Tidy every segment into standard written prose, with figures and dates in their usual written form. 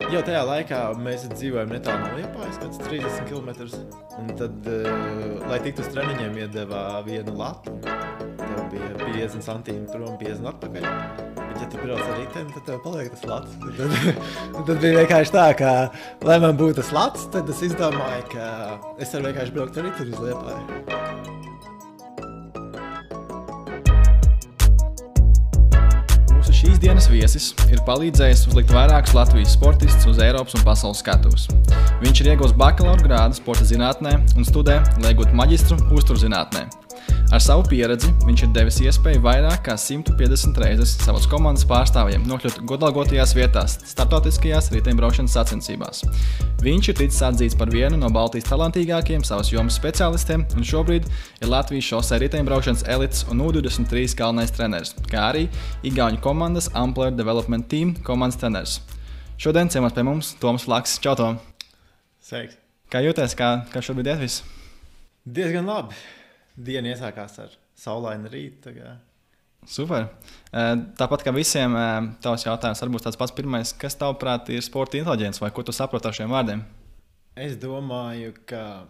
Jau tajā laikā mēs dzīvojam netālu no Liepājas, kāds 30 km. Un tad, lai tiktu uz treniņiem, iedeva vienu latu. Tev bija 50 centimetri prom, 50 atpakaļ. Bet, ja tu brauc ar riteni, tad tev paliek tas lats. Tad bija vienkārši tā, ka, lai man būtu tas lats, tad es izdomāju, ka es varu vienkārši braukt ar riteni uz Liepāju. Šīs dienas viesis ir palīdzējis uzlikt vairākus Latvijas sportistus uz Eiropas un pasaules skatuves. Viņš ir ieguvis bakalaura grādu sporta zinātnē un studē, lai iegūtu maģistru uzturzinātnē. Ar savu pieredzi viņš ir devis iespēju vairāk kā 150 reizes savas komandas pārstāvjiem nokļūt godalgotajās vietās starptautiskajās riteņbraukšanas sacensībās. Viņš ir ticis atzīts par vienu no Baltijas talantīgākajiem savas jomas speciālistiem un šobrīd ir Latvijas šosei riteņbraukšanas elites un U23 galvenais treneris, kā arī igauņu komandas Ampler Development Team komandas treneris. Šodien ciemos pie mums Toms Flaks. Čau, Tom! Sveiks! Kā jūties, kā šobrīd iet viss? Diezgan labi. Diena iesākās ar saulainu rītu. Super. Tāpat kā visiem, tavs jautājums varbūt tāds pats pirmais. Kas tavuprāt ir sporta inteliģence vai ko tu saproti ar šiem vārdiem? Es domāju, ka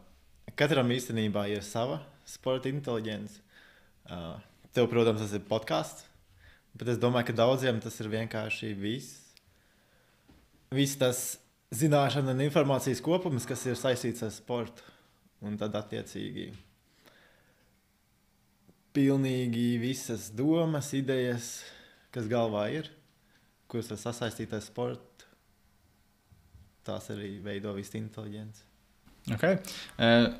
katram īstenībā ir sava sporta inteliģence. Tev, protams, tas ir podcasts, bet es domāju, ka daudziem tas ir vienkārši viss tas zināšana un informācijas kopums, kas ir saistīts ar sportu. Un tad attiecīgi pilnīgi visas domas, idejas, kas galvā ir, kuras var sasaistīt ar sportu, tās arī veido visu inteliģenci. Okay.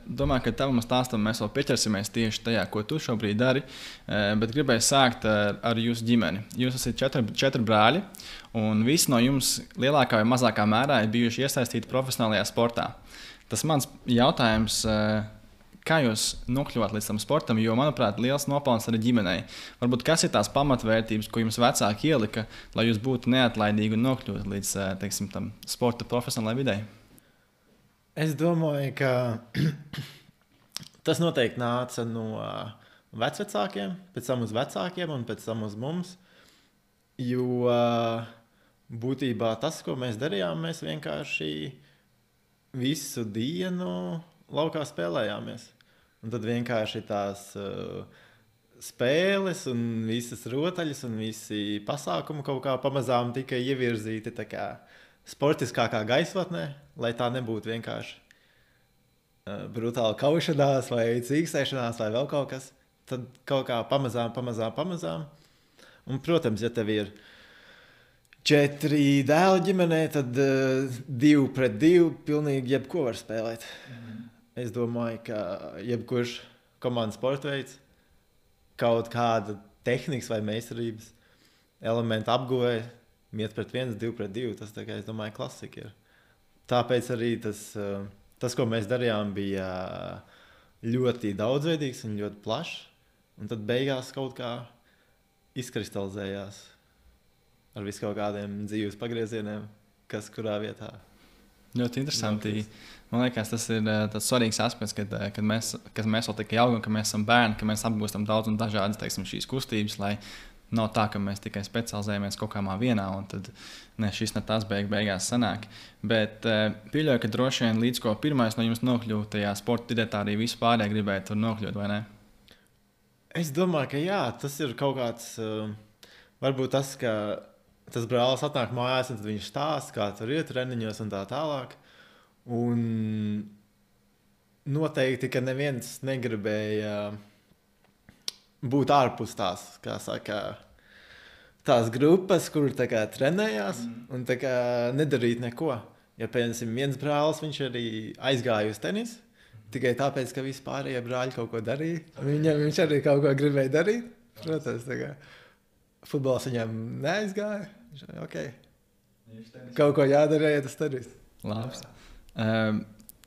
Domāju, ka tavam stāstam mēs vēl pieķersimies tieši tajā, ko tu šobrīd dari, bet gribēju sākt ar jūsu ģimeni. Jūs esat četri brāļi, un visi no jums lielākā vai mazākā mērā ir bijuši iesaistīti profesionālajā sportā. Tas mans jautājums, kā jūs nokļuvāt līdz tam sportam, jo, manuprāt, liels nopelns arī ģimenei. Varbūt kas ir tās pamatvērtības, ko jums vecāki ielika, lai jūs būtu neatlaidīgi un nokļūt līdz, teiksim, tam sporta profesionālajai videi? Es domāju, ka tas noteikti nāca no vecvecākiem, pēc tam uz vecākiem un pēc tam uz mums. Jo būtībā tas, ko mēs darījām, mēs vienkārši visu dienu laukā spēlējāmies. Un tad vienkārši tās spēles un visas rotaļas un visi pasākumi kaut kā pamazām tika ievirzīti tā kā sportiskākā gaisotnē, lai tā nebūtu vienkārši brutāla kaušanās vai cīkstēšanās vai vēl kaut kas. Tad kaut kā pamazām. Un, protams, ja tev ir 4 dēli ģimenē, tad 2 pret 2 pilnīgi jebko var spēlēt. Es domāju, ka jebkurš komandas sporta veids, kaut kāda tehnikas vai meistarības elementa apguvē, 1 pret 1, 2 pret 2, tas, tā kā, es domāju, klasika ir. Tāpēc arī tas, ko mēs darījām, bija ļoti daudzveidīgs un ļoti plašs, un tad beigās kaut kā izkristalizējās ar visu kaut kādiem dzīves pagriezieniem, kas kurā vietā. Ļoti interesanti. Man liekas, tas ir tāds svarīgs aspekts, kad mēs vēl tikai augam, ka mēs esam bērni, ka mēs apgūstam daudz un dažādas, teiksim, šīs kustības, lai nav tā, ka mēs tikai specializējamies kaut kādā vienā, un tad šis ne tas beigās sanāk. Bet pieļauju, ka droši vien līdz ko pirmais no jums nokļūt tajā sporta idetā, arī vispārēji gribētu tur nokļūt, vai ne? Es domāju, ka jā, tas ir kaut kāds, varbūt tas, ka tas brālis atnāk mājās, un tad viņš stāsta, kā tur ir treniņos un tā tālāk. Un noteikti, ka neviens negribēja būt ārpus tās, kā saka, tās grupas, kur tā kā trenējās un tā kā nedarīt neko. Ja, piemēram, viens brālis, viņš arī aizgāja uz tenisu, tikai tāpēc, ka visi pārējie brāļi kaut ko darīja. Viņš arī kaut ko gribēja darīt. Protams, tā kā futbols viņam neaizgāja. Okay. Kaut ko jādara, ja tas darīs. Labs.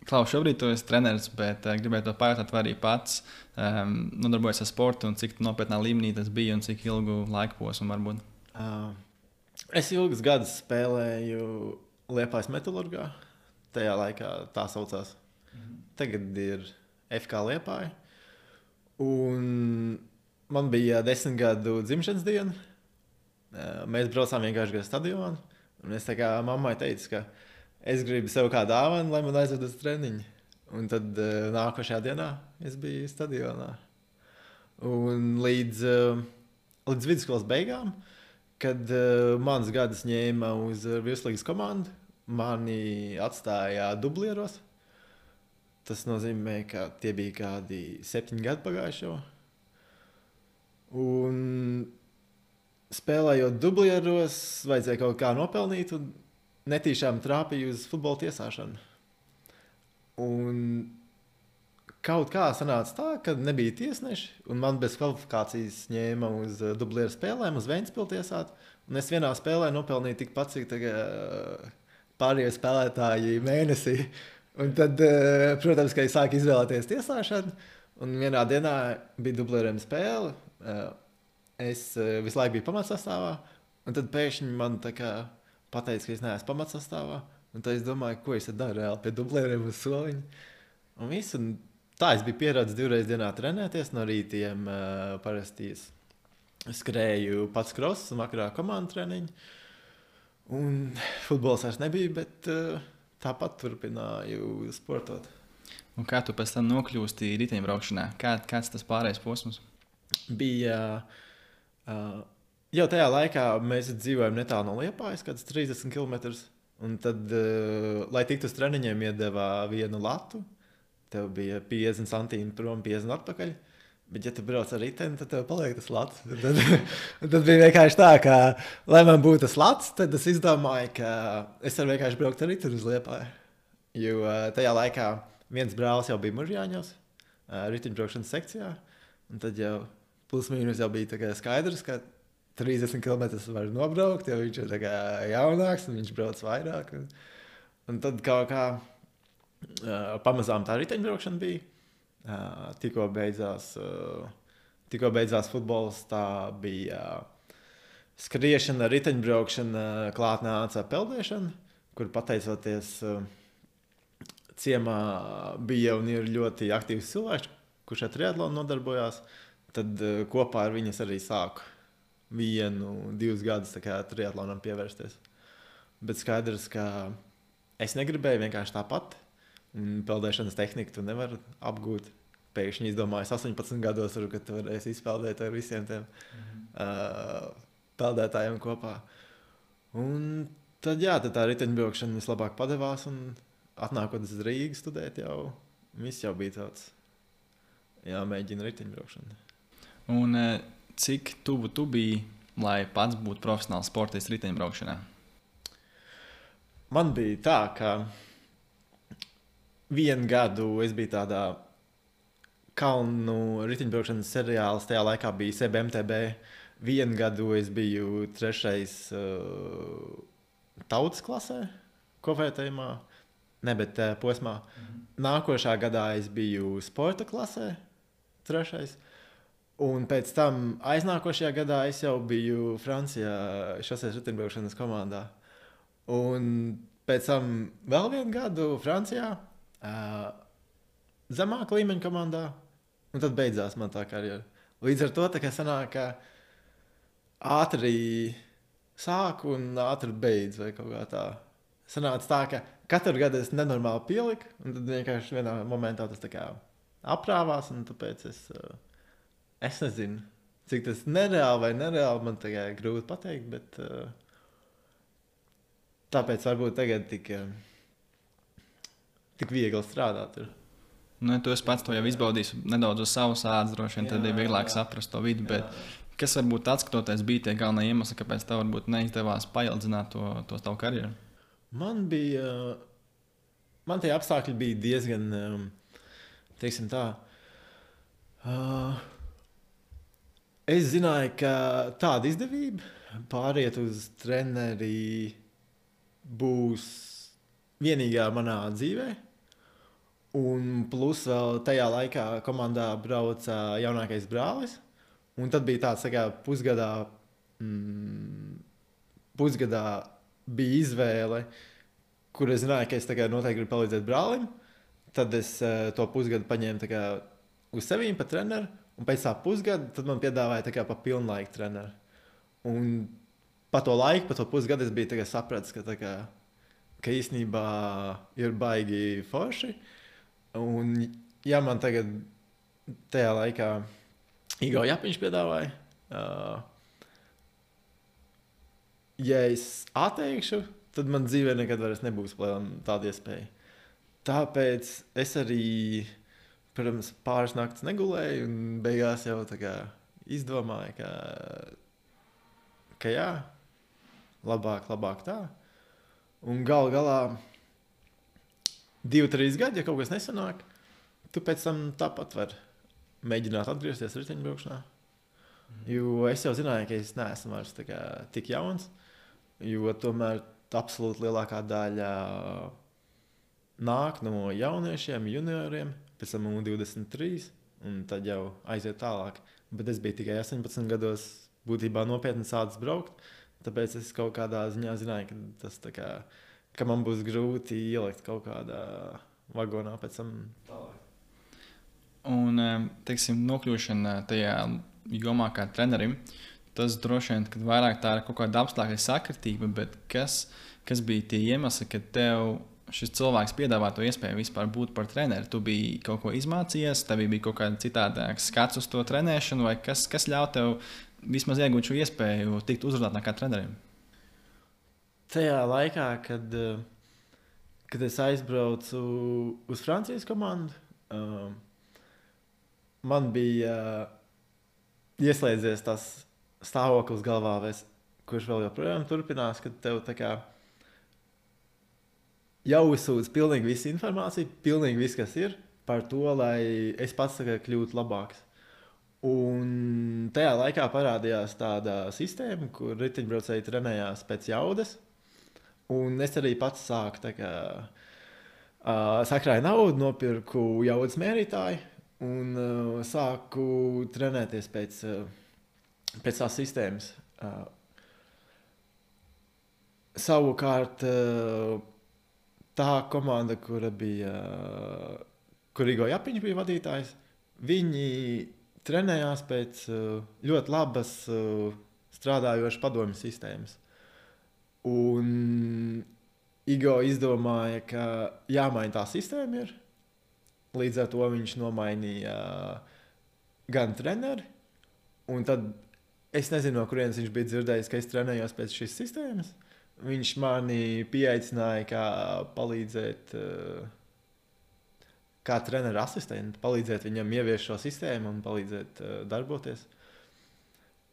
Klaus, šobrīd tu esi treneris, bet gribētu to pajautāt, vai arī pats nodarbojas ar sportu un cik nopietnā līmenī tas bija un cik ilgu laiku posmu varbūt? Es ilgus gadus spēlēju Liepājas Metalurgā. Tajā laikā tā saucās. Tagad ir FK Liepāja. Un man bija 10 gadu dzimšanas diena. Mēs braucām vienkārši gar stadionu. Un es tā kā mammai teicu, ka es gribu sev kā dāvanu, lai man aizved uz treniņu. Un tad nākošajā dienā es biju stadionā. Un līdz vidusskolas beigām, kad mans gads ņēma uz virslīgas komandu, mani atstāja dublieros. Tas nozīmē, ka tie bija kādi 7 gadi pagājuši jau. Un spēlējot dublieros, vajadzēja kaut kā nopelnīt un netīšām trāpīju uz futbola tiesāšanu. Un kaut kā sanāca tā, ka nebija tiesneši, un man bez kvalifikācijas ņēma uz dublieru spēlēm, uz Ventspili tiesāt. Un es vienā spēlē nopelnīju tikpat, cik pārējie spēlētāji mēnesī. Un tad, protams, ka es sāku izvēlēties tiesāšanu, un vienā dienā bija dublieriem spēle. Es visu laiku biju pamatsastāvā, un tad pēkšņi man tā kā pateica, ka es neesmu pamatsastāvā. Un tad es domāju, ko es daru reāli pie dublieriem uz soliņa. Un viss, un tā es biju pieredzējis 2 reizes dienā trenēties. No rītiem parasti skrēju pats kross un vakarā komandu treniņu. Un futbols vairs nebija, bet tāpat turpināju sportot. Un kā tu pēc tam nokļūsti riteņbraukšanā? Kāds tas pārējais posms? Bija jau tajā laikā mēs dzīvojam netālu no Liepājas, kāds 30 km. Un tad, lai tiktu uz treniņiem, iedeva vienu latu. Tev bija 50 centīmi prom, 50 atpakaļ. Bet, ja tu brauc ar riteni, tad tev paliek tas lats. Tad bija vienkārši tā, ka, lai man būtu tas lats, tad es izdomāju, ka es varu vienkārši braukt ar riteni uz Liepāju. Jo tajā laikā viens brālis jau bija Mužjāņos, riteņbraukšanas sekcijā. Un tad jau plus mīnus jau bija tā kā skaidrs, ka 30 km var nobraukt, jo viņš ir tā kā jaunāks un viņš brauc vairāk. Un tad kaut kā pamazām tā riteņbraukšana bija. Tikko beidzās futbols, tā bija skriešana, riteņbraukšana, klāt nāca peldēšana, kur pateicoties ciemā bija un ir ļoti aktīvs cilvēks, kurš ar triatlonu nodarbojās. Tad kopā ar viņas arī sāku 1-2 gadus triatlonam pievērsties. Bet skaidrs, ka es negribēju vienkārši tāpat. Peldēšanas tehniku tu nevari apgūt. Pēkšņi izdomāju 18 gados, ka tu varēsi izpeldēt ar visiem tiem peldētājiem kopā. Un tad tā riteņbraukšana vislabāk padevās, un atnākot uz Rīgu studēt, viss jau bija tāds jāmēģina riteņbraukšana. Un cik tuvu tu biji, lai pats būtu profesionāls sportists riteņbraukšanā? Man bija tā, ka 1 gadu es biju tādā kalnu riteņbraukšanas seriāls. Tajā laikā bija CBMTB. 1 gadu es biju 3. tautas klasē, kopvērtējumā, bet posmā. Nākošā gadā es biju sporta klasē, 3. Un pēc tam aiznākošajā gadā es jau biju Francijā šoseis riteņbraukšanas komandā. Un pēc tam vēl 1 gadu Francijā, zemāka līmeņa komandā, un tad beidzās man tā karjera. Līdz ar to tā sanāk, ka ātri sāku un ātri beidzu vai kaut kā tā. Sanāca tā, ka katru gadu es nenormāli pieliku, un tad vienkārši vienā momentā tas tā kā aprāvās, un tāpēc es nezinu, cik tas nereāli vai nereāli, man tā kā grūti pateikt, bet tāpēc varbūt tagad tik viegli strādāt. Nu, tu esi pats to jau izbaudījis nedaudz uz savas ādas, droši vien, tad ir vieglāk saprast to vidi, bet kas varbūt atskatoties bija tie galvenie iemesli, kāpēc tev varbūt neizdevās paildzināt to tavu karjeru? Man tie apstākļi bija diezgan, teiksim tā, es zināju, ka tāda izdevība pāriet uz treneri būs vienīgā manā dzīvē. Un plus vēl tajā laikā komandā brauca jaunākais brālis. Un tad bija tāds pusgadā bija izvēle, kur es zināju, ka es noteikti gribu palīdzēt brālim. Tad es to pusgadu paņēmu uz sevīm pa treneru. Un pēc tā pusgada tad man piedāvāja pa pilnlaika treneru. Un pa to laiku, pa to pusgadu es biju sapratis, ka īstenībā ir baigi forši. Un, ja man tagad tajā laikā Igo Japiņš piedāvāja, ja es atteikšu, tad man dzīvē nekad vairs nebūs tāda iespēja. Tāpēc es arī, protams, pāris naktas negulēju un beigās jau izdomāju, ka jā, labāk tā. Un galā 2-3 gadi, ja kaut kas nesanāk, tu pēc tam tāpat vari mēģināt atgriezties riteņbraukšanā. Jo es jau zināju, ka es neesmu vairs tik jauns, jo tomēr absolūti lielākā daļa nāk no jauniešiem, junioriem, pēc tam 23, un tad jau aiziet tālāk. Bet es biju tikai 18 gados, būtībā nopietni sācis braukt, tāpēc es kaut kādā ziņā zināju, ka tas ka man būs grūti ielikt kaut kādā vagonā pēc tam tālāk. Un, teiksim, nokļūšana tajā jomā kā trenerim, tas droši vien, kad vairāk tā ir kaut kāda apstākļa sakritība, bet kas bija tie iemesli, ka tev šis cilvēks piedāvā to iespēju vispār būt par treneri? Tu biji kaut ko izmācījies, tev bija kaut kāda citādāka skats uz to trenēšanu, vai kas ļauj tev vismaz iegūt šo iespēju tikt uzrunāt kā trenerim? Tajā laikā, kad es aizbraucu uz Francijas komandu, man bija ieslēdzies tas stāvoklis galvā, kurš vēl joprojām turpinās, kad tev jāuzsūdz pilnīgi visa informācija, pilnīgi viss, kas ir, par to, lai es pats kļūtu labāks. Un tajā laikā parādījās tāda sistēma, kur riteņbraucēji trenējās pēc jaudas. Un es arī pats sāku sakrāju naudu, nopirku jaudas mērītāju un sāku trenēties pēc tās sistēmas. Savukārt tā komanda, kur Igo Japiņš bija vadītājs, viņi trenējās pēc ļoti labas strādājošas padomju sistēmas. Un Igo izdomāja, ka jāmaina tā sistēma ir. Līdz ar to viņš nomainīja gan treneri, un tad es nezinu, no kurienes viņš bija dzirdējis, ka es trenējos pēc šīs sistēmas. Viņš mani pieaicināja, kā palīdzēt, kā treneru asistentu, palīdzēt viņam ieviest šo sistēmu un palīdzēt darboties.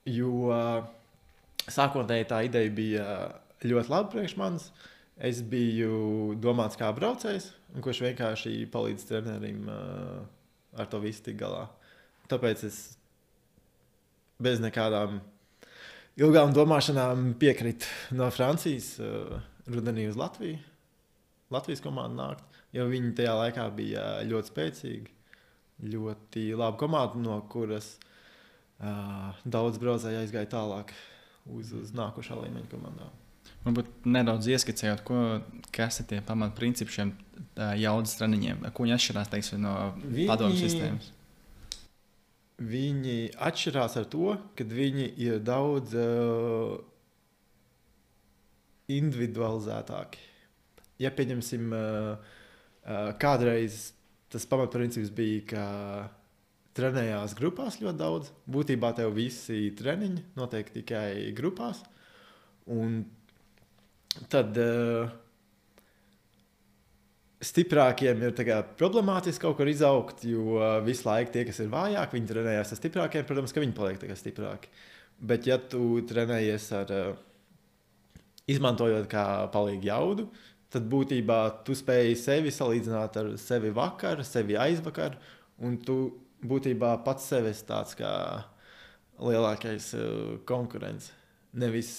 Jo sākotnēji tā ideja bija ļoti laba priekš manis. Es biju domāts kā braucējs, kurš vienkārši palīdz trenerim ar to visu tik galā. Tāpēc es bez nekādām ilgām domāšanām piekritu no Francijas rudenī uz Latviju. Latvijas komandu nākt, jo viņi tajā laikā bija ļoti spēcīgi, ļoti laba komanda, no kuras daudz braucēji aizgāja tālāk uz nākošā līmeņa komandām. Varbūt nedaudz ieskicējot, kas ir tie pamatprincipi šiem jaudas treniņiem, ko viņi atšķirās, teiksim, no padomju sistēmas? Viņi atšķirās ar to, ka viņi ir daudz individualizētāki. Ja pieņemsim, kādreiz tas pamatprincips bija, ka trenējās grupās ļoti daudz. Būtībā tev visi treniņi notiek tikai grupās. Un tad stiprākiem ir problemātiski kaut kur izaugt, jo visu laiku tie, kas ir vājāki, viņi trenējās ar stiprākiem, protams, ka viņi paliek stiprāki. Bet ja tu trenējies izmantojot kā palīgu jaudu, tad būtībā tu spēji sevi salīdzināt ar sevi vakar, sevi aizvakar, un tu būtībā pats sevi esi tāds kā lielākais konkurents. Nevis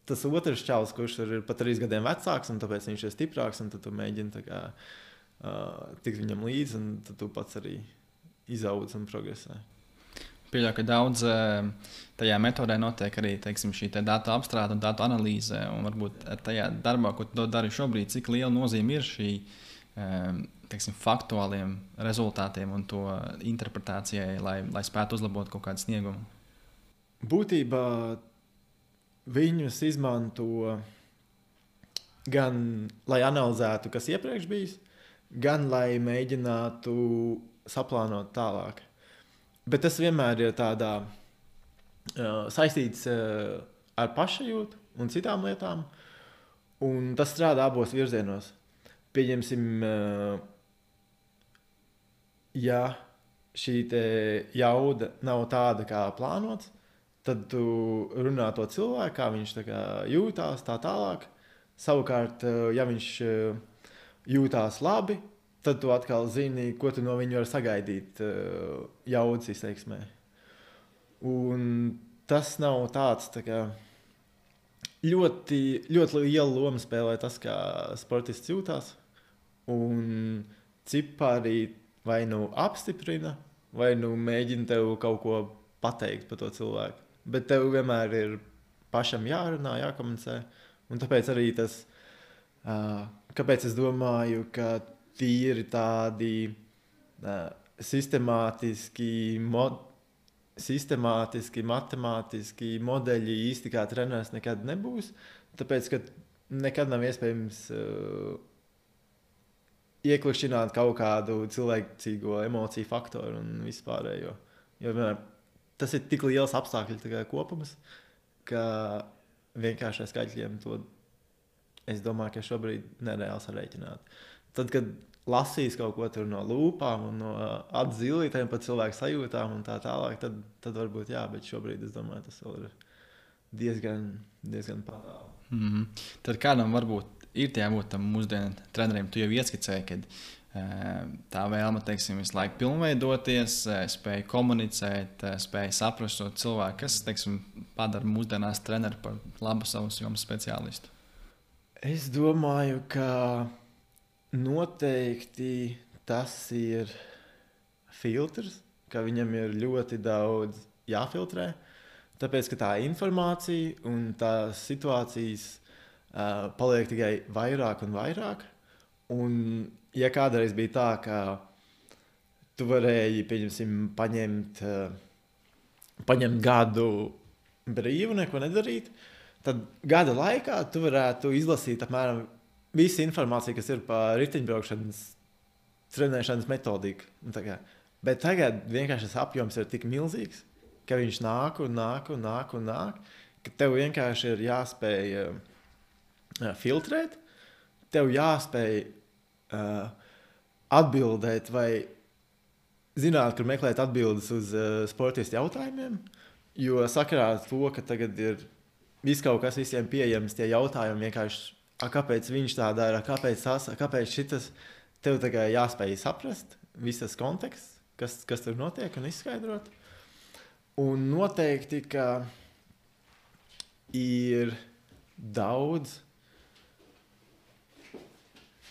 tas otrs čalis, kurš ir pat 3 gadiem vecāks, un tāpēc viņš ir stiprāks, un tad tu mēģini tikt viņam līdzi, un tad tu pats arī izaudz un progresē. Pieļauju, ka daudz tajā metodē notiek arī, teiksim, šī datu apstrāde un datu analīze, un varbūt tajā darbā, ko tu dari šobrīd, cik liela nozīme ir šī, teiksim, faktuāliem rezultātiem un to interpretācijai, lai spētu uzlabot kaut kādu sniegumu? Būtībā viņus izmanto gan, lai analizētu, kas iepriekš bijis, gan, lai mēģinātu saplānot tālāk. Bet tas vienmēr ir tādā saistīts ar pašajūtu un citām lietām, un tas strādā abos virzienos. Pieņemsim, ja šī te jauda nav tāda, kā plānots, tad tu runā to cilvēku, kā viņš tā kā jūtās, tā tālāk. Savukārt, ja viņš jūtās labi, tad tu atkal zini, ko tu no viņa vari sagaidīt jaudas izteiksmē. Un tas nav tāds tā kā ļoti liela loma spēlē tas, kā sportists jūtās. Un cipari vai nu apstiprina, vai nu mēģina tev kaut ko pateikt par to cilvēku. Bet tev vienmēr ir pašam jārunā, jākomunicē. Un tāpēc arī tas, kāpēc es domāju, ka tīri tādi sistemātiski, matemātiski modeļi īsti kā treneris nekad nebūs. Tāpēc, ka nekad nav iespējams ieklikšķināt kaut kādu cilvēcīgo emociju faktoru un vispārējo. Jo vienmēr tas ir tik liels apstākļu kopums, ka vienkārši ar skaitļiem to, es domāju, ka šobrīd nereāli sarēķināt. Tad, kad lasīs kaut ko tur no lūpām un no atzilītēm par cilvēku sajūtām un tā tālāk, tad varbūt jā, bet šobrīd es domāju, tas vēl ir diezgan patālu. Mm-hmm. Tad kādam varbūt ir jābūt tam mūsdienu treneriem, tu jau ieskicēji, kad tā vēlme, teiksim, visu laiku pilnveidoties, spēja komunicēt, spēja saprast to cilvēku, kas, teiksim, padara mūsdienās treneri par labu savus jomas speciālistu? Es domāju, ka noteikti tas ir filtrs, ka viņam ir ļoti daudz jāfiltrē, tāpēc, ka tā informācija un tās situācijas paliek tikai vairāk un vairāk. Un, ja kādreiz bija tā, ka tu varēji, pieņemsim, paņemt gadu brīvu, neko nedarīt, tad gada laikā tu varētu izlasīt apmēram visu informāciju, kas ir par riteņbraukšanas trenēšanas metodiku. Bet tagad vienkārši tas apjoms ir tik milzīgs, ka viņš nāk, ka tev vienkārši ir jāspēj filtrēt, tev jāspēj atbildēt vai zināt, kur meklēt atbildes uz sportistu jautājumiem, jo sakarā ar to, ka tagad ir viss kaut kas visiem pieejams, tie jautājumi vienkārši, kāpēc viņš tā dara, kāpēc šitas, tev tagad jāspēj saprast visas konteksts, kas tur notiek un izskaidrot. Un noteikti, ka ir daudz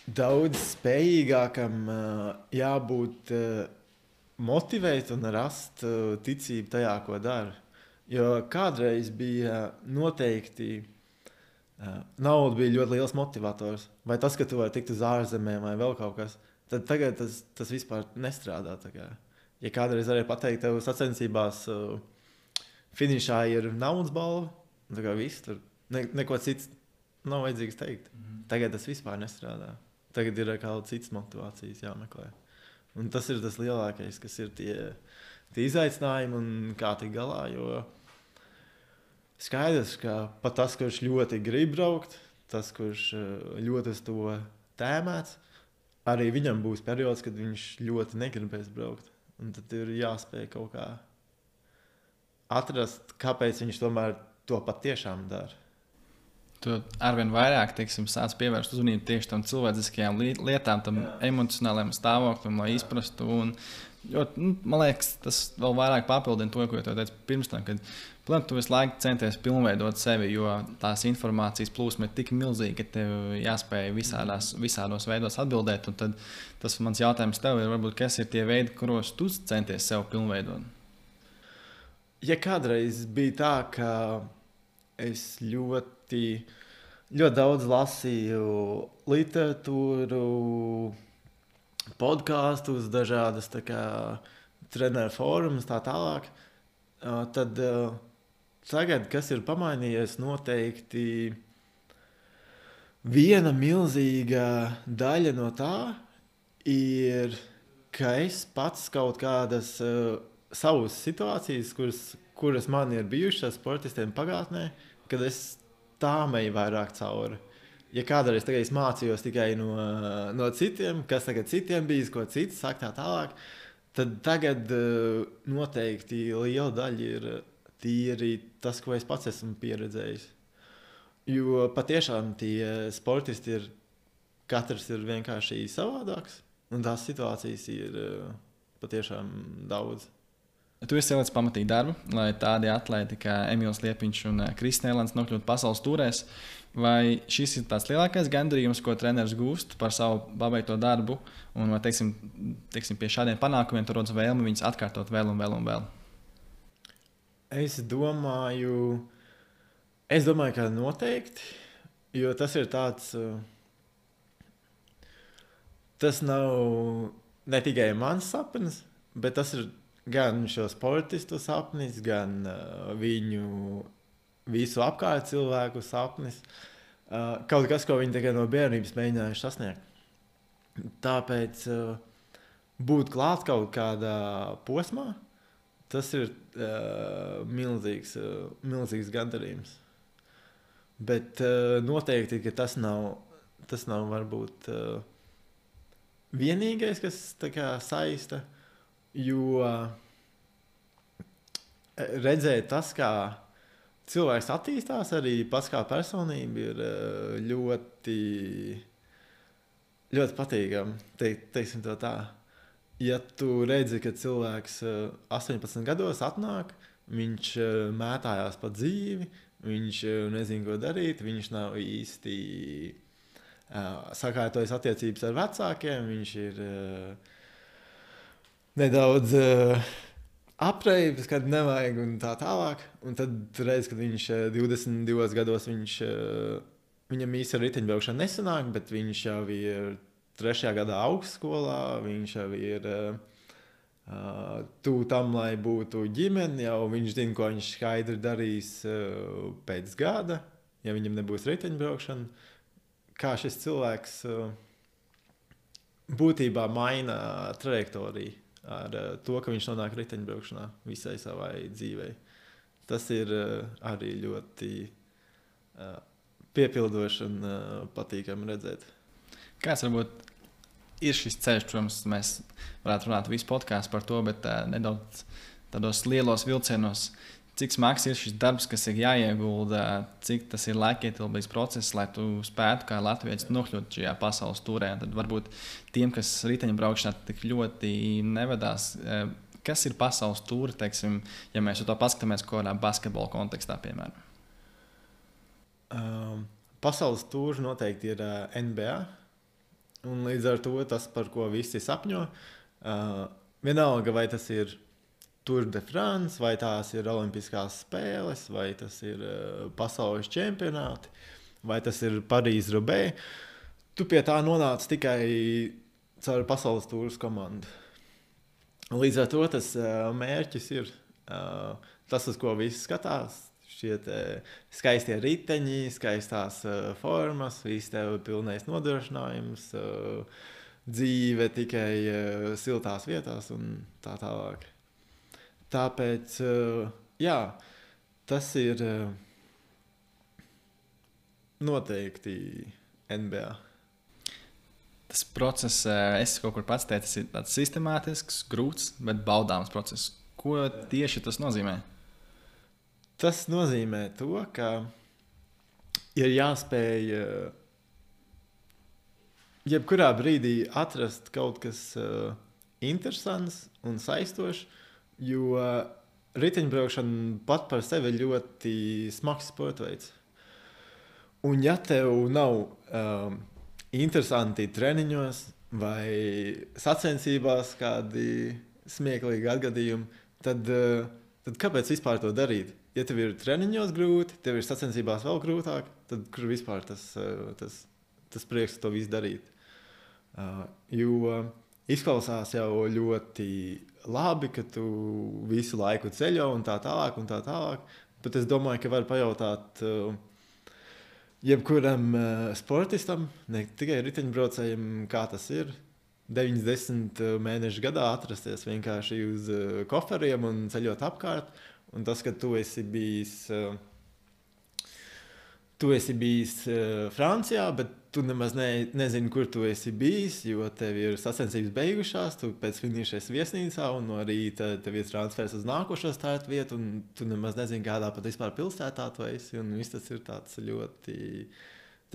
spējīgākam jābūt motivēt un rast ticību tajā, ko dara. Jo kādreiz bija noteikti nauda bija ļoti liels motivators. Vai tas, ka tu vari tikt uz ārzemēm vai vēl kaut kas, tad tagad tas vispār nestrādā. Ja kādreiz varēja pateikt, tev sacensībās finišā ir naudas balva, viss tur, neko cits nav vajadzīgs teikt. Tagad tas vispār nestrādā. Tagad ir kaut citas motivācijas jāmeklē. Un tas ir tas lielākais, kas ir tie izaicinājumi un kā tik galā, jo skaidrs, ka pat tas, kurš ļoti grib braukt, tas, kurš ļoti uz to tēmēts, arī viņam būs periods, kad viņš ļoti negribēs braukt. Un tad ir jāspēj kaut kā atrast, kāpēc viņš tomēr to patiešām dara. Tu arvien vairāk, teiksim, sāc pievērst uzmanību tieši tam cilvēciskajām lietām, tam emocionālajam stāvoklim, lai izprastu. Man liekas, tas vēl vairāk papildina to, ko tu teici pirms tam, kad tu visu laiku centies pilnveidot sevi, jo tās informācijas plūsma ir tik milzīga, ka tev jāspēj visādos veidos atbildēt. Un tad tas mans jautājums tev ir, varbūt, kas ir tie veidi, kuros tu centies sev pilnveidot? Ja kādreiz bija tā, ka es ļoti daudz lasīju literatūru, podkāstus, dažādas treneru fórumus, tā tālāk, tad tagad, kas ir pamainījies, noteikti viena milzīga daļa no tā ir, ka es pats kaut kādas savas situācijas, kuras man ir bijušas sportistiem pagātnē, kad es tām eju vairāk cauri. Ja kādreiz es mācījos tikai no citiem, kas tagad citiem bijis, ko cits saka tā tālāk, tad tagad noteikti liela daļa ir tīri tas, ko es pats esmu pieredzējis. Jo patiešām tie sportisti katrs ir vienkārši savādāks, un tās situācijas ir patiešām daudz. Tu esi ielicis pamatīgi darbu, lai tādi atlēti kā Emīls Liepiņš un Kristīna Elants nokļūtu pasaules tūrēs. Vai šis ir tāds lielākais gandarījums, ko treneris gūst par savu pabeigto darbu? Un vai, teiksim, pie šādiem panākumiem tu rodz vēlmi viņus atkārtot vēl un vēl un vēl? Es domāju, ka noteikti, jo tas ir tāds, tas nav ne tikai mans sapnis, bet tas ir gan šo sportistu sapnis, gan viņu visu apkārt cilvēku sapnis. Kaut kas, ko viņi tikai no bērnības mēģinājuši sasniegt. Tāpēc būt klāt kaut kādā posmā, tas ir milzīgs gandarījums. Bet noteikti, ka tas nav varbūt vienīgais, kas tā kā saista, jo redzēt tas, kā cilvēks attīstās, arī pats kā personība, ir ļoti, ļoti patīkami, teiksim to tā. Ja tu redzi, ka cilvēks 18 gados atnāk, viņš mētājās pa dzīvi, viņš nezina, ko darīt, viņš nav īsti sakārtojis attiecības ar vecākiem, viņš ir nedaudz apreibis, kad nevajag un tā tālāk. Un tad reiz, kad viņš 22 gados, viņam īsti ar riteņbraukšanu nesanāk, bet viņš jau ir 3. gadā augstskolā, viņš jau ir tuvu tam, lai būtu ģimene, jau viņš zina, ko viņš skaidri darīs pēc gada, ja viņam nebūs riteņbraukšana. Kā šis cilvēks būtībā maina trajektoriju ar to, ka viņš nonāk riteņbraukšanā visai savai dzīvei. Tas ir arī ļoti piepildoši un patīkami redzēt. Kāds varbūt ir šis ceļš, protams, mēs varētu runāt visu podkāstu par to, bet nedaudz tādos lielos vilcienos, cik smags ir šis darbs, kas ir jāiegulda, cik tas ir laikietilpīgs process, lai tu spētu kā latvietis nokļūt šajā pasaules tūrē. Tad varbūt tiem, kas riteņbraukšanā tik ļoti nevedās, kas ir pasaules tūri, teiksim, ja mēs to paskatāmies kādā basketbola kontekstā, piemēram? Pasaules tūri noteikti ir NBA, un līdz ar to tas, par ko visi sapņo, vienalga, vai tas ir Tour de France, vai tās ir olimpiskās spēles, vai tas ir pasaules čempionāti, vai tas ir Parīze-Roubaix. Tu pie tā nonāc tikai caur pasaules tūras komandu. Līdz ar to tas mērķis ir tas, uz ko visi skatās. Šie skaistie riteņi, skaistās formas, viss tev pilnais nodrošinājums, dzīve tikai siltās vietās un tā tālāk. Tāpēc, jā, tas ir noteikti NBA. Tas process, es kaut kur pats teicu, tas ir tāds sistemātisks, grūts, bet baudāms process. Ko tieši tas nozīmē? Tas nozīmē to, ka ir jāspēj jebkurā brīdī atrast kaut kas interesants un saistošs, jo riteņbraukšana pat par sevi ir ļoti smags sporta veids. Un ja tev nav interesanti treniņos vai sacensībās kādi smieklīgi atgadījumi, tad kāpēc vispār to darīt? Ja tev ir treniņos grūti, tev ir sacensībās vēl grūtāk, tad kur vispār tas prieks to visu darīt? Jo izklausās jau ļoti labi, ka tu visu laiku ceļo un tā tālāk, Bet es domāju, ka var pajautāt jebkuram sportistam, ne tikai riteņbraucējiem, kā tas ir. 90 mēnešu gadā atrasties vienkārši uz koferiem un ceļot apkārt. Un tas, ka tu esi bijis Francijā, bet tu nemaz nezini, kur tu esi bijis, jo tev ir sacensības beigušās, tu pēc finiša esi viesnīcā un no rīta tev ir transfers uz nākošo startu vietu, un tu nemaz nezini, kādā pat vispār pilsētā tu esi. Un viss tas ir tāds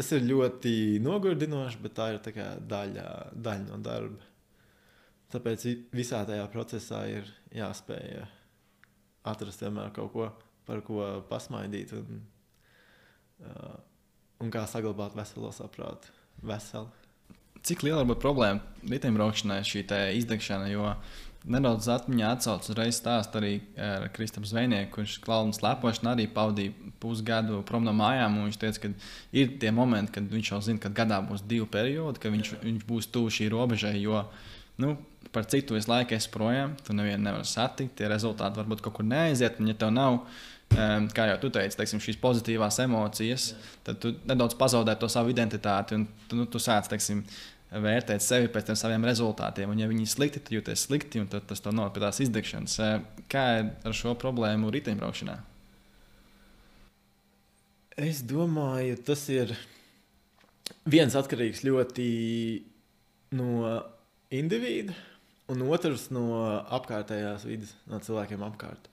ļoti nogurdinoši, bet tā ir tā kā daļa no darba. Tāpēc visā tajā procesā ir jāspēj atrast vienmēr kaut ko, par ko pasmaidīt un kā saglabāt veselo saprātu. Cik liela var būt problēma riteņbraukšanai šī izdegšana, jo nedaudz atmiņā atsauc uzreiz stāst arī ar Kristapu Zvejnieku, kurš klauna slēpošana arī pavadīja pusgadu prom no mājām, un viņš teica, ka ir tie momenti, kad viņš jau zina, ka gadā būs 2 periodi, ka viņš būs tuvu šī robežai, jo, par cik tu visu laiku esi projām, tu nevienu nevar satikt, tie rezultāti varbūt kaut kur neaiziet, un ja tev nav, kā jau tu teici, teiksim, šīs pozitīvās emocijas, tad tu nedaudz pazaudē to savu identitāti, un tu sāc, teiksim, vērtēt sevi pēc tiem saviem rezultātiem, un ja viņi ir slikti, tad jūties slikti, un tad tas tev noved pie tās izdegšanas. Kā ir ar šo problēmu riteņbraukšanā? Es domāju, tas ir viens atkarīgs ļoti no individa, un otrs no apkārtējās vidas, no cilvēkiem apkārt.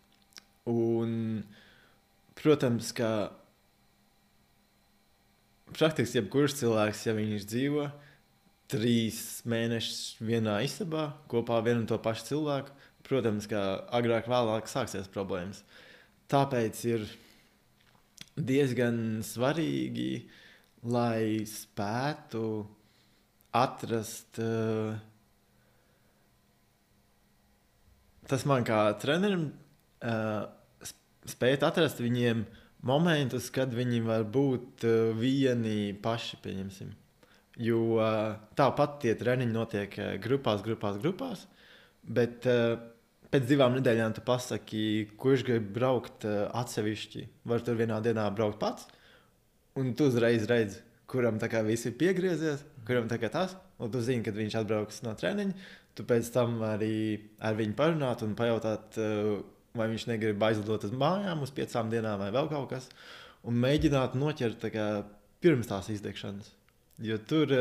Un, protams, ka praktiski jebkurš cilvēks, ja viņš dzīvo 3 mēnešus vienā istabā kopā ar vienu un to pašu cilvēku, protams, ka agrāk vēlāk sāksies problēmas. Tāpēc ir diezgan svarīgi, lai spētu atrast, tas man kā trenerim, spēt atrast viņiem momentus, kad viņi var būt vieni paši, pieņemsim. Jo tāpat tie treniņi notiek grupās, bet pēc 2 nedēļām tu pasaki, kurš grib braukt atsevišķi. Var tur vienā dienā braukt pats, un tu uzreiz redzi, kuram tā kā viss ir piegriezies, kuram tā kā tas, un tu zini, kad viņš atbrauks no treniņa, tu pēc tam arī ar viņu parunāt un pajautāt, vai viņš negrib aizlidot uz mājām uz 5 dienām vai vēl kaut kas, un mēģināt noķert tā kā pirms tās izdegšanas. Jo tur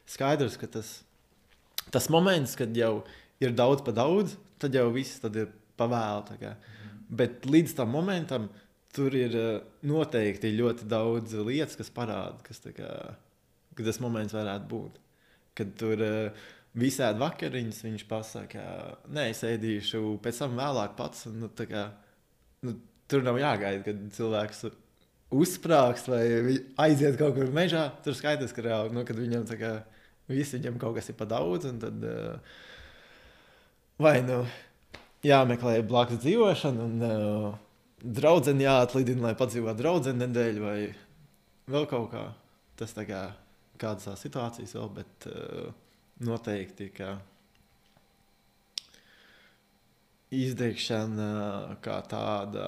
skaidrs, ka tas moments, kad jau ir daudz pa daudz, tad jau viss tad ir pavēlu. Bet līdz tam momentam tur ir noteikti ļoti daudz lietas, kas parāda, ka tas moments varētu būt. Kad tur visādi vakariņas viņš pasaka, nē, es ēdīšu pēc tam vēlāk pats. Un, tur nav jāgaida, kad cilvēks uzsprāgst vai aiziet kaut kur mežā. Tur skaidrs, ka reāli, kad viņam viņam kaut kas ir pa daudz, un tad vai jāmeklē blakus dzīvošana, un draudzeni jāatlidina, lai padzīvot draudzeni nedēļu, vai vēl kaut kā. Tas kādas tās situācijas vēl, bet noteikti, ka izdegšana kā tāda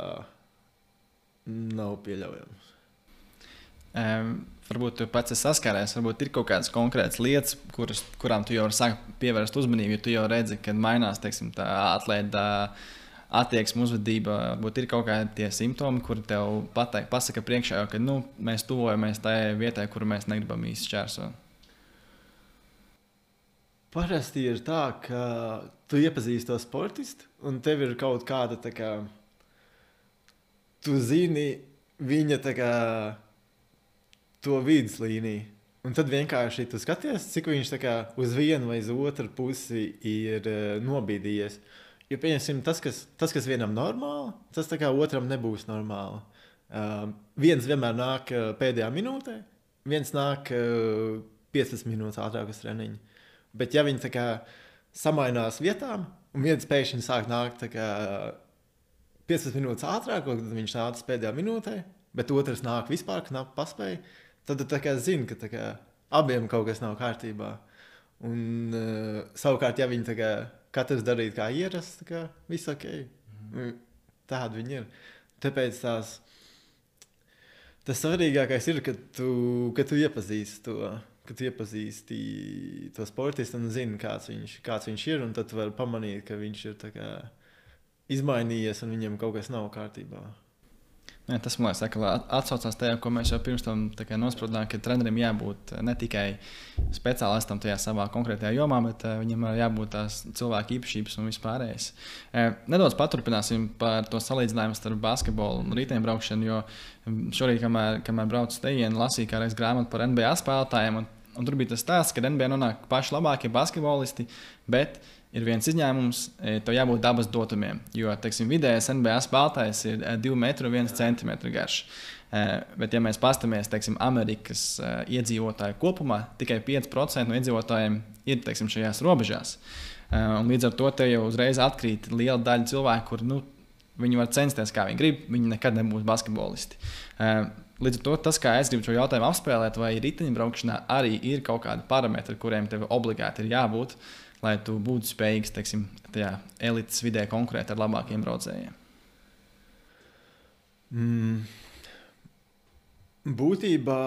nav pieļaujams. Varbūt tu pats esi saskāries, varbūt ir kaut kādas konkrētas lietas, kurām tu jau vari sākt pievērst uzmanību, jo tu jau redzi, kad mainās, teiksim, tā atlēta attieksme, uzvedība, varbūt ir kaut kādi tie simptomi, kuri tev pasaka priekšā, ka mēs tuvojamies tajai vietai, kuru mēs negribam īsti šķērsot. Parasti ir tā, ka tu iepazīsti to sportistu, un tev ir kaut kāda tu zini viņa to viduslīniju. Un tad vienkārši tu skaties, cik viņš uz vienu vai uz otru pusi ir nobīdījies. Jo, pieņemsim, tas, kas vienam normāli, tas otram nebūs normāli. Viens vienmēr nāk pēdējā minūtē, viens nāk 15 minūtes ātrāk uz treniņu. Bet ja viņi samainās vietām, un viens pēkšņi sāk nākt 15 minūtes ātrāk, tad viņš nāca pēdējā minūtē, bet otrs nāk vispār knapi paspēja, tad tu zini, ka abiem kaut kas nav kārtībā. Un savukārt, ja viņi katrs darītu kā ierasts, viss ok. Tādi viņi ir. Tāpēc tas svarīgākais ir, ka tu iepazīsti to sportistu un zini, kāds viņš ir. Un tad tu vari pamanīt, ka viņš ir tā kā izmainījies un viņam kaut kas nav kārtībā. Jā, tas, man liekas, atsaucās tajā, ko mēs jau pirms tam nospraudām, ka trenerim jābūt ne tikai speciālistam tajā savā konkrētajā jomā, bet viņam jābūt tās cilvēku īpašības un vispārējais. Nedaudz paturpināsim par to salīdzinājumu starp basketbolu un riteņbraukšanu, jo šorīt, kamēr braucu tejienu, lasīju kādreiz grāmatu par NBA spēlētājiem, un tur bija tas stāsts, ka NBA nonāk paši labākie basketbolisti, bet ir viens izņēmums, tev jābūt dabas dotumiem, jo, teiksim, vidējais NBA spēlētājs ir 2,1 cm garš. Bet, ja mēs paskatāmies, teiksim, Amerikas iedzīvotāju kopumā, tikai 5% no iedzīvotājiem ir, teiksim, šajās robežās. Un līdz ar to te jau uzreiz atkrīt liela daļa cilvēku, kur, viņi var censties, kā viņi grib, viņi nekad nebūs basketbolisti. Līdz ar to tas, kā es gribu šo jautājumu apspēlēt, vai riteņbraukšanā arī ir kaut kādi parametri, kuriem tev obligāti ir jābūt, lai tu būtu spējīgs, teiksim, tajā elites vidē konkurēt ar labākiem braucējiem? Būtībā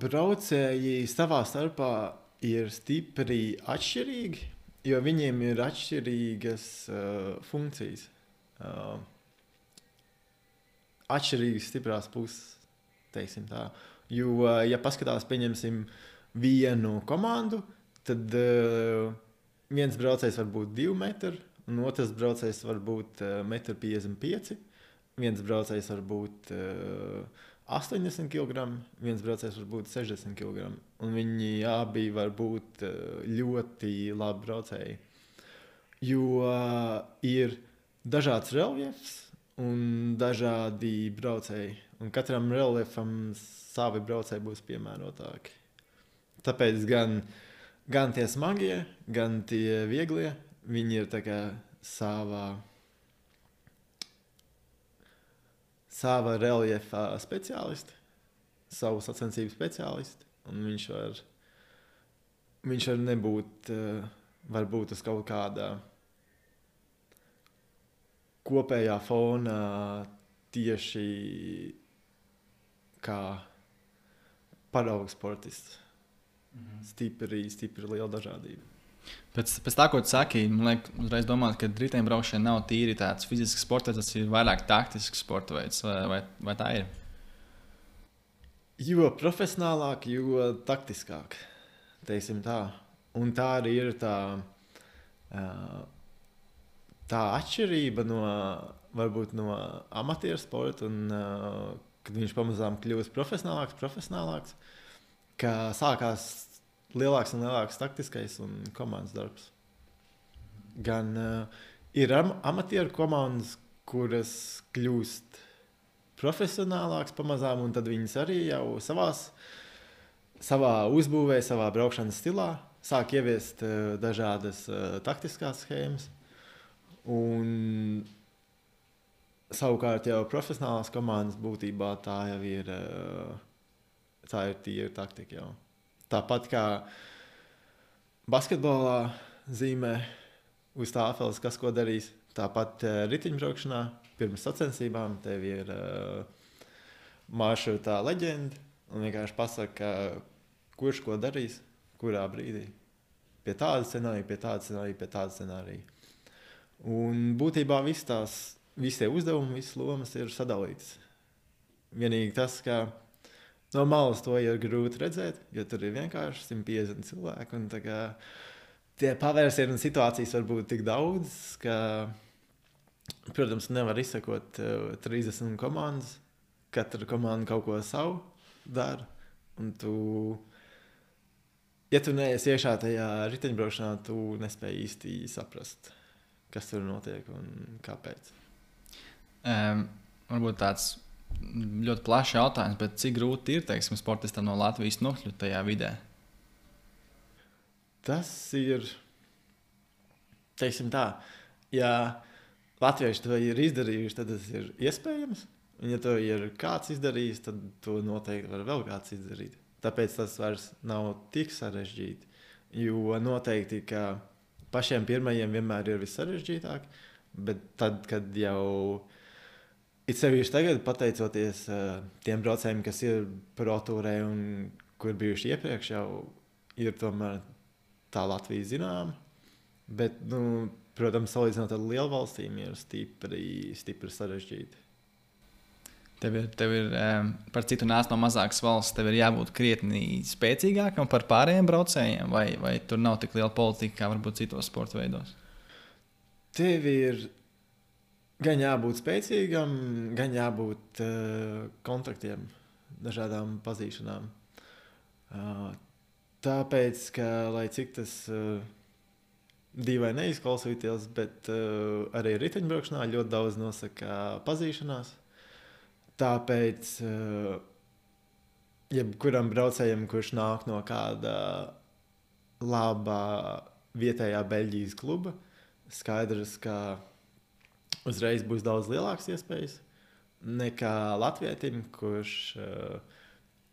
braucēji savā starpā ir stipri atšķirīgi, jo viņiem ir atšķirīgas funkcijas. Atšķirīgas stiprās puses, teiksim tā. Jo, ja paskatās, pieņemsim vienu komandu, tad viens braucējs var būt 2 metri, un otrs braucējs var būt 1,55 m. Viens braucējs var būt 80 kg, viens braucējs var būt 60 kg. Un viņi abi var būt ļoti labi braucēji. Jo ir dažāds reljefs un dažādi braucēji. Un katram reljefam savi braucēji būs piemērotāki. Tāpēc gan tie smagie, gan tie vieglie, viņi ir tā kā sava reljefa speciālisti, savu sacensību speciālisti, un viņš var nebūt, varbūt uz kaut kādā kopējā fona tieši kā paraugu sportists. Stipri liela dažādība. Pēc tā, ko tu saki, man liekas, uzreiz domāt, ka riteņbraukšana nav tīri tāds fizisks sports, tas ir vairāk taktisks sporta veids, vai tā ir? Jo profesionālāk, jo taktiskāk, teiksim tā. Un tā arī ir tā atšķirība varbūt no amatieru sporta, un kad viņš pamazām kļūst profesionālāks, ka sākās lielāks un lielāks taktiskais un komandas darbs. Gan ir amatieru komandas, kuras kļūst profesionālāks pamazām, un tad viņas arī jau savā uzbūvē, savā braukšanas stilā sāk ieviest dažādas taktiskās schēmas. Un savukārt jau profesionālās komandas būtībā tā jau ir tīra taktika jau. Tāpat kā basketbolā zīmē uz tāfeles, kas ko darīs, tāpat riteņbraukšanā pirms sacensībām tev ir maršrutā leģenda un vienkārši pasaka, kurš ko darīs, kurā brīdī. Pie tāda scenārija, pie tāda scenārija. Un būtībā visi tie uzdevumi, visas lomas ir sadalītas. Vienīgi tas, ka no malas to ir grūti redzēt, jo tur ir vienkārši 150 cilvēki. Un tie pavērsieni un situācijas var būt tik daudz, ka, protams, nevar izsekot 30 komandas. Katra komanda kaut ko savu dara. Un ja tu neesi iekšā tajā riteņbraukšanā, tu nespēji īsti saprast, kas tur notiek un kāpēc. Varbūt tāds ļoti plašs jautājums, bet cik grūti ir, teiksim, sportistam no Latvijas nokļūt tajā vidē? Tas ir, teiksim tā, ja latvieši to ir izdarījuši, tad tas ir iespējams. Un ja to ir kāds izdarījis, tad to noteikti var vēl kāds izdarīt. Tāpēc tas vairs nav tik sarežģīti. Jo noteikti, ka pašiem pirmajiem vienmēr ir vissarežģītāk, bet tad, kad jau it sevišķi tagad, pateicoties tiem braucējiem, kas ir protūrē un kur bijuši iepriekš, jau ir tomēr tā Latvija zināma. Bet, protams, salīdzinot ar lielu valstīm, ir stipri sarežģīti. Tev ir par citu nāc no mazākas valsts, tev ir jābūt krietni spēcīgākam par pārējiem braucējiem, vai tur nav tik liela politika, kā varbūt citos sporta veidos? Tev ir gan jābūt spēcīgam, gan jābūt kontaktiem, dažādām pazīšanām. Tāpēc, ka, lai cik tas dīvaini neizklausīties, bet arī riteņbraukšanā ļoti daudz nosaka pazīšanās. Tāpēc, jebkuram braucējam, kurš nāk no kāda labā vietējā Beļģijas kluba, skaidrs, ka uzreiz būs daudz lielākas iespējas nekā latvietim, kurš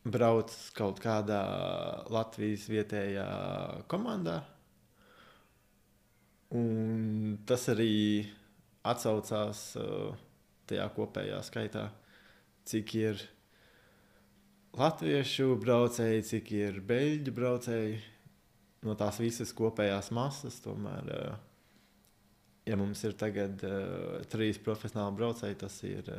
brauc kaut kādā Latvijas vietējā komandā. Un tas arī atsaucās tajā kopējā skaitā. Cik ir latviešu braucēji, cik ir beļģu braucēji, no tās visas kopējās masas. Tomēr, ja mums ir tagad 3 profesionāli braucēji, tas ir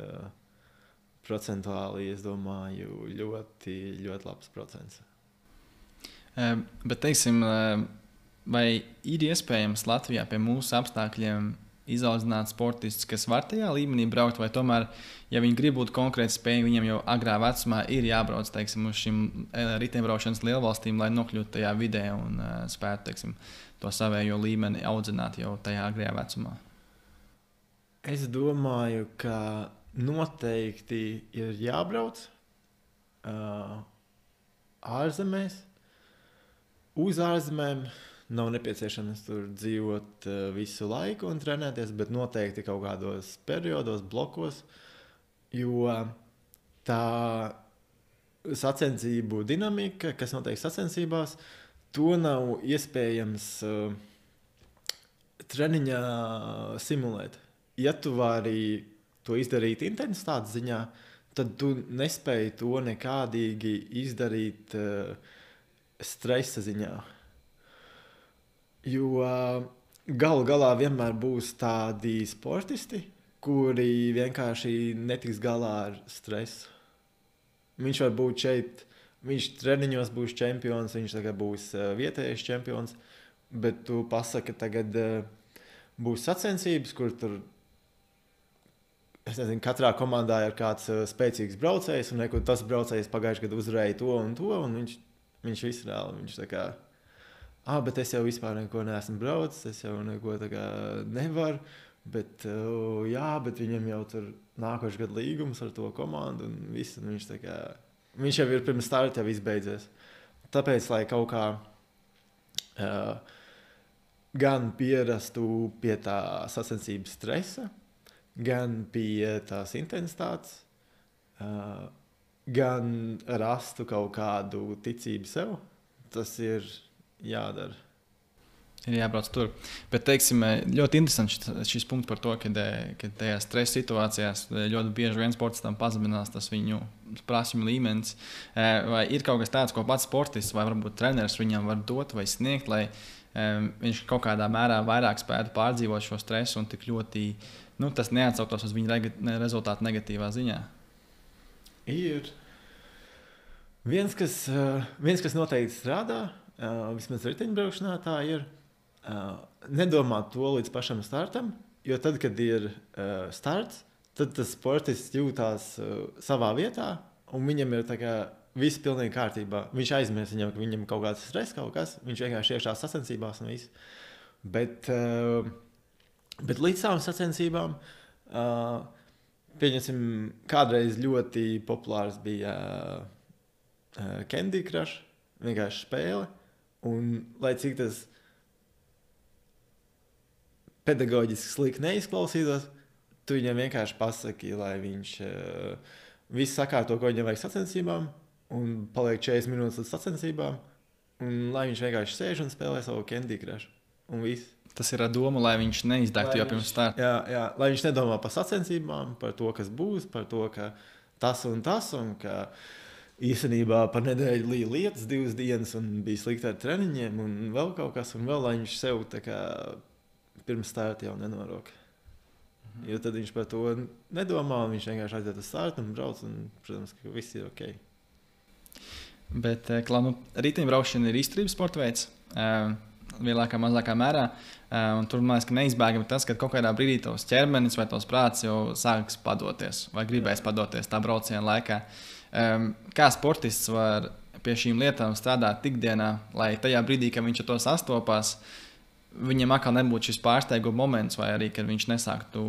procentuāli, es domāju, ļoti, ļoti labs procents. Bet, teiksim, vai ir iespējams Latvijā pie mūsu apstākļiem izaudzināt sportistus, kas var tajā līmenī braukt, vai tomēr, ja viņi grib būt konkrēti spējīgi, viņiem jau agrā vecumā ir jābrauc, teiksim, uz šīm riteņbraukšanas lielvalstīm, lai nokļūtu tajā vidē un spētu, teiksim, to savējo līmeni audzināt jau tajā agrajā vecumā? Es domāju, ka noteikti ir jābrauc ārzemēs, uz ārzemēm. Nav nepieciešams tur dzīvot visu laiku un trenēties, bet noteikti kaut kādos periodos, blokos, jo tā sacensību dinamika, kas notiek sacensībās, to nav iespējams treniņā simulēt. Ja tu vari to izdarīt intensitātes ziņā, tad tu nespēji to nekādīgi izdarīt stresa ziņā. Jo galu galā vienmēr būs tādi sportisti, kuri vienkārši netiks galā ar stresu. Viņš var būt šeit, viņš treniņos būs čempions, viņš tagad būs vietējais čempions, bet tu pasaki, tagad būs sacensības, kur tur, es nezinu, katrā komandā ir kāds spēcīgs braucējs, un tas braucējs pagājušajā gadā uzvarēja to, un viņš visreāli, viņš tā kā, bet es jau vispār neko neesmu braucis, es jau neko tā kā nevaru, bet viņam jau tur nākošais gadu līgums ar to komandu, un viss, un viņš jau ir pirms starta jau izbeidzies. Tāpēc, lai kaut kā gan pierastu pie tā sacensības stresa, gan pie tās intensitātes, gan rastu kaut kādu ticību sev, tas ir jādara. Ir jābrauc tur. Bet, teiksim, ļoti interesants šis punkts par to, ka tajās stresa situācijās ļoti bieži vien sportistam pazeminās tas viņu prasmju līmenis. Vai ir kaut kas tāds, ko pats sportists vai varbūt treneris viņam var dot vai sniegt, lai viņš kaut kādā mērā vairāk spētu pārdzīvot šo stresu un tik ļoti tas neatsauktos uz viņa rezultātu negatīvā ziņā? Ir. Viens, kas noteikti strādā, vismaz riteņbraukšanā tā ir, nedomāt to līdz pašam startam, jo tad, kad ir starts, tad tas sportists jūtās savā vietā, un viņam ir tā kā viss pilnīgi kārtībā. Viņš aizmirst viņam, ka viņam kaut kāds stress, kaut kas, viņš vienkārši iekšā sacensībās un viss. Bet līdz savām sacensībām, pieņemsim, kādreiz ļoti populārs bija Candy Crush, vienkārši spēle, un lai cik tas pedagoģiski slikti neizklausītos, tu viņam vienkārši pasaki, lai viņš visu sakārto, ko viņam vajag sacensībām, un paliek 40 minūtes līdz sacensībām, un lai viņš vienkārši sēž un spēlē savu Candy Crush. Un viss. Tas ir ar domu, lai viņš neizdegtu jau pirms starta. Jā, lai viņš nedomā par sacensībām, par to, kas būs, par to, ka tas, un ka īstenībā par nedēļu līja lietas 2 dienas un bija slikti ar treniņiem un vēl kaut kas, un vēl lai viņš sev tā kā pirms starta jau nenoroka. Jo tad viņš par to nedomā, un viņš vienkārši aiziet uz startu un brauc, un, protams, ka viss ir ok. Bet riteņbraukšana ir izturības sporta veids. Lielākā, mazākā mērā. Un tur man liekas, ka neizbēgami tas, ka kaut kādā brīdī tavs ķermenis vai tavs prāts jau sāks padoties vai gribēs padoties tā brauciena laikā. Kā sportists var pie šīm lietām strādāt ikdienā, lai tajā brīdī, kad viņš ar to sastopās, viņam atkal nebūtu šis pārsteiguma moments, vai arī, kad viņš nesāktu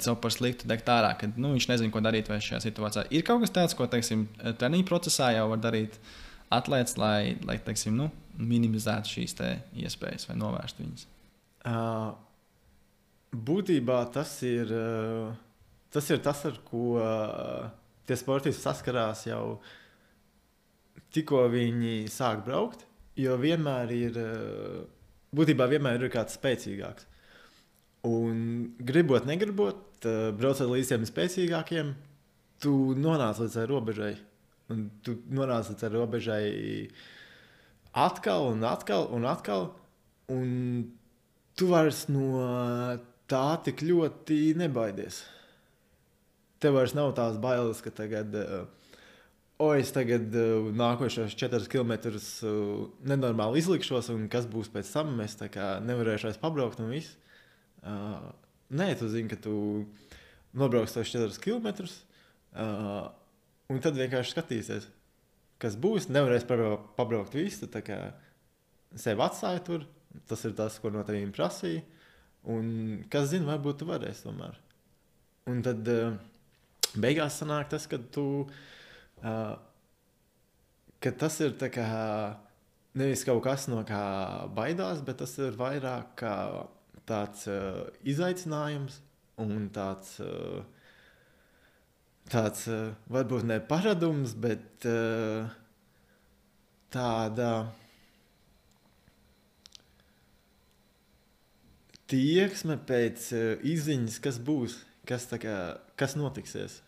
sev par sliktu degt ārā, kad viņš nezina, ko darīt vai šajā situācijā. Ir kaut kas tāds, ko, teiksim, treniņu procesā jau var darīt atlēts, lai teiksim, minimizētu šīs iespējas vai novērstu viņas? Būtībā tas ir tas, ar ko tie sportisti saskarās jau tikko viņi sāk braukt, jo vienmēr ir kāds spēcīgāks. Un gribot, negribot, braucot līdz tiem spēcīgākiem, tu nonāc līdz tai robežai. Un tu nonāc līdz tai robežai atkal un atkal un atkal, un tu vairs no tā tik ļoti nebaidies. Tev vairs nav tās bailes, ka tagad, es tagad nākošos 4 kilometrus nenormāli izlikšos, un kas būs pēc tam, es tā kā nevarēšu vairs pabraukt un viss. Nē, tu zini, ka tu nobrauks tos 4 kilometrus, un tad vienkārši skatīsies, kas būs. Nevarēs pabraukt visu, tā kā sevi atstāja tur. Tas ir tas, ko no tevīm prasīja. Un kas zina, varbūt tu varēsi tomēr. Un tad beigās sanāk tas, ka tas ir tā kā nevis kaut kas, no kā baidās, bet tas ir vairāk kā tāds izaicinājums un tāds varbūt ne paradums, bet tāda tieksme pēc izziņas, kas būs, kas notiksies.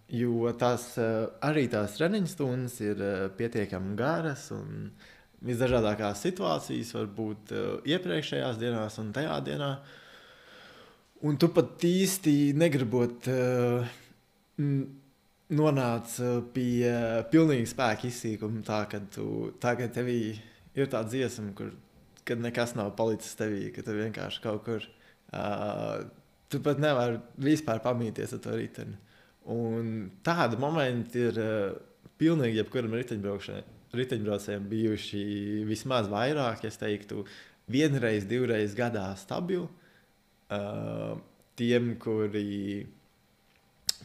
Jo arī tās treniņu stundas ir pietiekami garas un visdažādākās situācijas var būt iepriekšējās dienās un tajā dienā. Un tu pat īsti negribot nonāc pie pilnīgi spēka izsīkuma tā, kad tevī ir tā dziesma, kad nekas nav palicis tevī, ka tu vienkārši kaut kur tu pat nevar vispār pamīties ar to riteni. Un tādi momenti ir pilnīgi jebkuram riteņbraucējiem bijuši vismaz vairāk, es teiktu, 1 reizi, 2 reizes gadā stabili. Tiem, kuri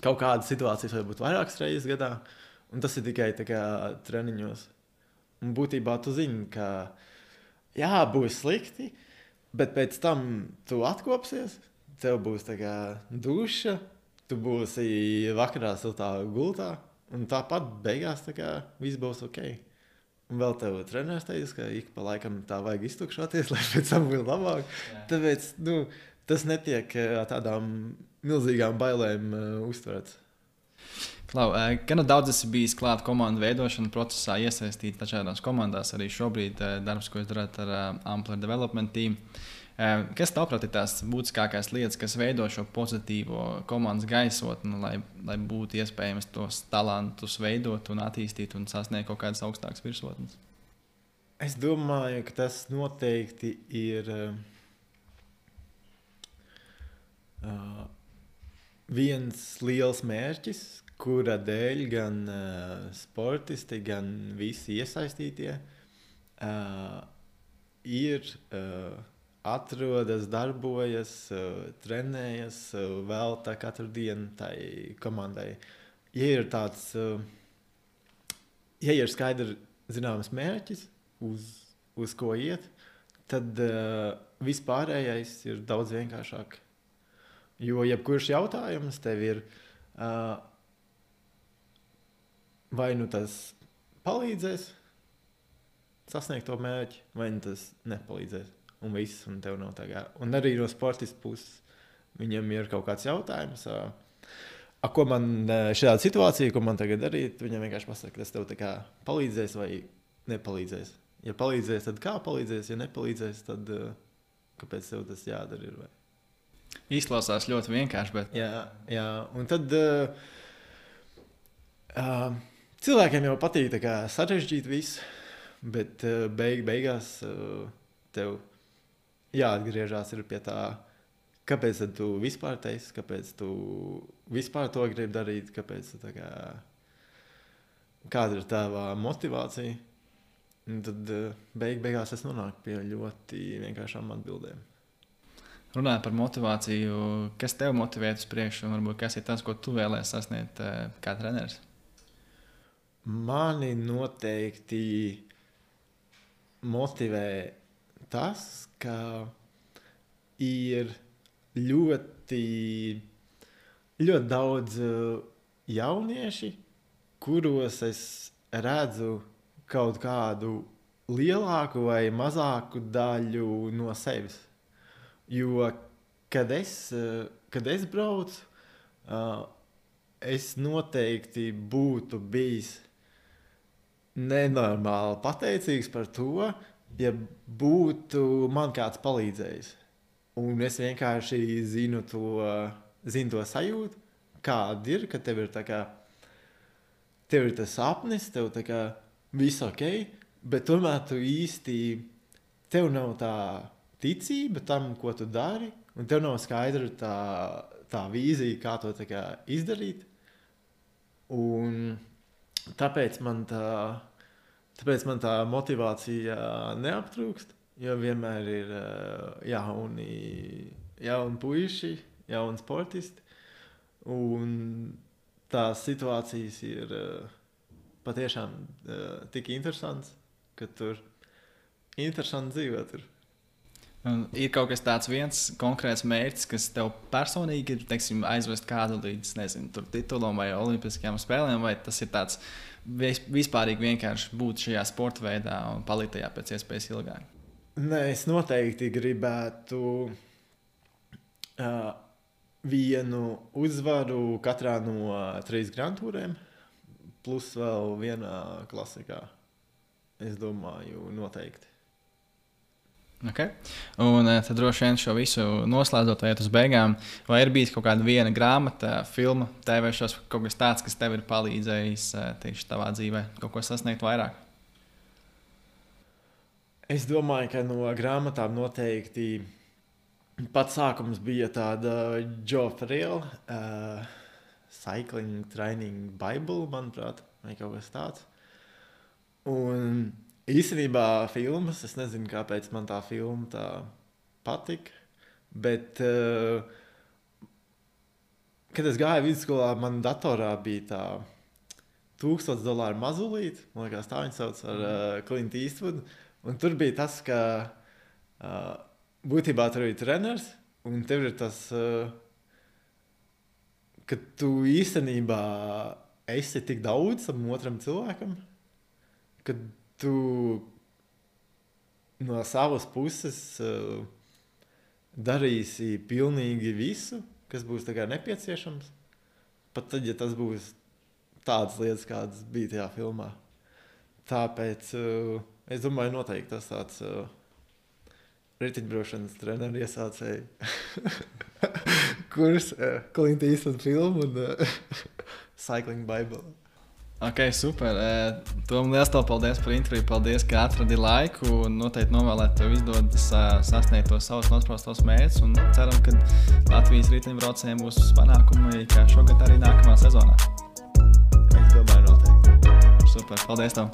kaut kādas situācijas var būt vairākas reizes gadā, un tas ir tikai tā kā treniņos. Un būtībā tu zini, ka jā, būs slikti, bet pēc tam tu atkopsies, tev būs tā kā duša, tu būsi vakarā siltā gultā, un tāpat beigās tā kā viss būs ok. Un vēl tev treneris teica, ka ik pa laikam tā vajag iztukšoties, lai pēc tam būtu labāk. Jā. Tāpēc, tas netiek tādām milzīgām bailēm uztverts. Klau, gan daudz esi bijis klāt komandu veidošana procesā, iesaistīt dažādās komandās, arī šobrīd darbs, ko jūs darāt ar Ampler Development Team. Kas tavuprāt ir tās būtiskākās lietas, kas veido šo pozitīvo komandas gaisotni, lai būtu iespējams tos talantus veidot un attīstīt un sasniegt kaut kādas augstākas virsotnes? Es domāju, ka tas noteikti ir viens liels mērķis, kura dēļ gan sportisti, gan visi iesaistītie ir atrodas, darbojas, trenējas, velta katru dienu tai komandai. Ja ir skaidri zināms mērķis, uz ko iet, tad vispārējais ir daudz vienkāršāk. Jo jebkurš jautājums tev ir vai nu tas palīdzēs sasniegt to mērķi, vai nu tas nepalīdzēs. un viss, un tev nav tagad. Un arī no sportistu puses viņam ir kaut kāds jautājums, ko man šādā situācijā, ko man tagad darīt, viņam vienkārši pasaka, tas tev tā kā palīdzēs vai nepalīdzēs. Ja palīdzēs, tad kā palīdzēs, ja nepalīdzēs, tad kāpēc tev tas jādara ir, vai? Izklausās ļoti vienkārši, bet... Jā, un tad cilvēkiem jau patīk tā kā sarežģīt visu, bet beigās tev jāatgriežās ir pie tā, kāpēc tad tu vispār teisi, kāpēc tu vispār to gribi darīt, kāpēc tu tā kā, kāda ir tava motivācija. Un tad beigās es nonāku pie ļoti vienkāršām atbildēm. Runājot par motivāciju, kas tev motivē uz priekšu, un varbūt kas ir tas, ko tu vēlēsi sasniegt kā treneris? Mani noteikti motivē tas, ka ir ļoti daudz jaunieši, kuros es redzu kaut kādu lielāku vai mazāku daļu no sevis. Jo, kad es braucu, es noteikti būtu bijis nenormāli pateicīgs par to, ja būtu man kāds palīdzējis. Un es vienkārši zinu to sajūtu, kāda ir, ka tev ir tā kā, tev ir tas sapnis, tev tā kā viss ok, bet tomēr tu īsti, tev nav tā ticība tam, ko tu dari, un tev nav skaidra tā vīzija, kā to tā kā izdarīt. Un tāpēc man tā motivācija neaptrūkst, jo vienmēr ir jauni puiši, jauni sportisti, un tās situācijas ir patiešām tik interesants, ka tur interesanti dzīvot tur. Ir kaut kas tāds viens konkrēts mērķis, kas tev personīgi ir, teiksim, aizvest kādu līdz, nezinu, titulam vai olimpiskajām spēlēm, vai tas ir tāds vispārīgi vienkārši būt šajā sporta veidā un palikt tajā pēc iespējas ilgāk? Nē, es noteikti gribētu vienu uzvaru katrā no 3 Grand Touriem, plus vēl vienā klasikā. Es domāju, noteikti. Okay. Un tad droši vien šo visu noslēdzot, iet uz beigām, vai ir bijis kaut kāda viena grāmata, filma, TV šos, kaut kas tāds, kas tev ir palīdzējis tieši tavā dzīvē, kaut ko sasniegt vairāk? Es domāju, ka no grāmatām noteikti pats sākums bija tāda Joe Friel, Cycling Training Bible, manuprāt, vai kaut kas tāds. Un īstenībā filmas, es nezinu, kāpēc man tā filma tā patika, bet, kad es gāju vidusskolā, man datorā bija tā $1000 mazulīte, man liekas, tā viņa sauc ar Clint Eastwood, un tur bija tas, ka būtībā tur ir treneris, un tev ir tas, ka tu īstenībā esi tik daudz tam otram cilvēkam, ka tu no savas puses darīsi pilnīgi visu, kas būs tā kā nepieciešams. Pat tad, ja tas būs tādas lietas, kādas bija tajā filmā. Tāpēc es domāju, noteikti tas tāds riteņbraukšanas treneru iesācēji kurs, Clint Eastwood filmu un Cycling Bible. Ok, super. Tom, liels tev paldies par interviju. Paldies, ka atradi laiku un noteikti novēlēt tev izdodas sasniegt tos savus nospraustos mērķus un ceram, ka Latvijas riteņbraucējiem būs panākumi kā šogad arī nākamā sezonā. Es domāju, noteikti. Super, paldies tev.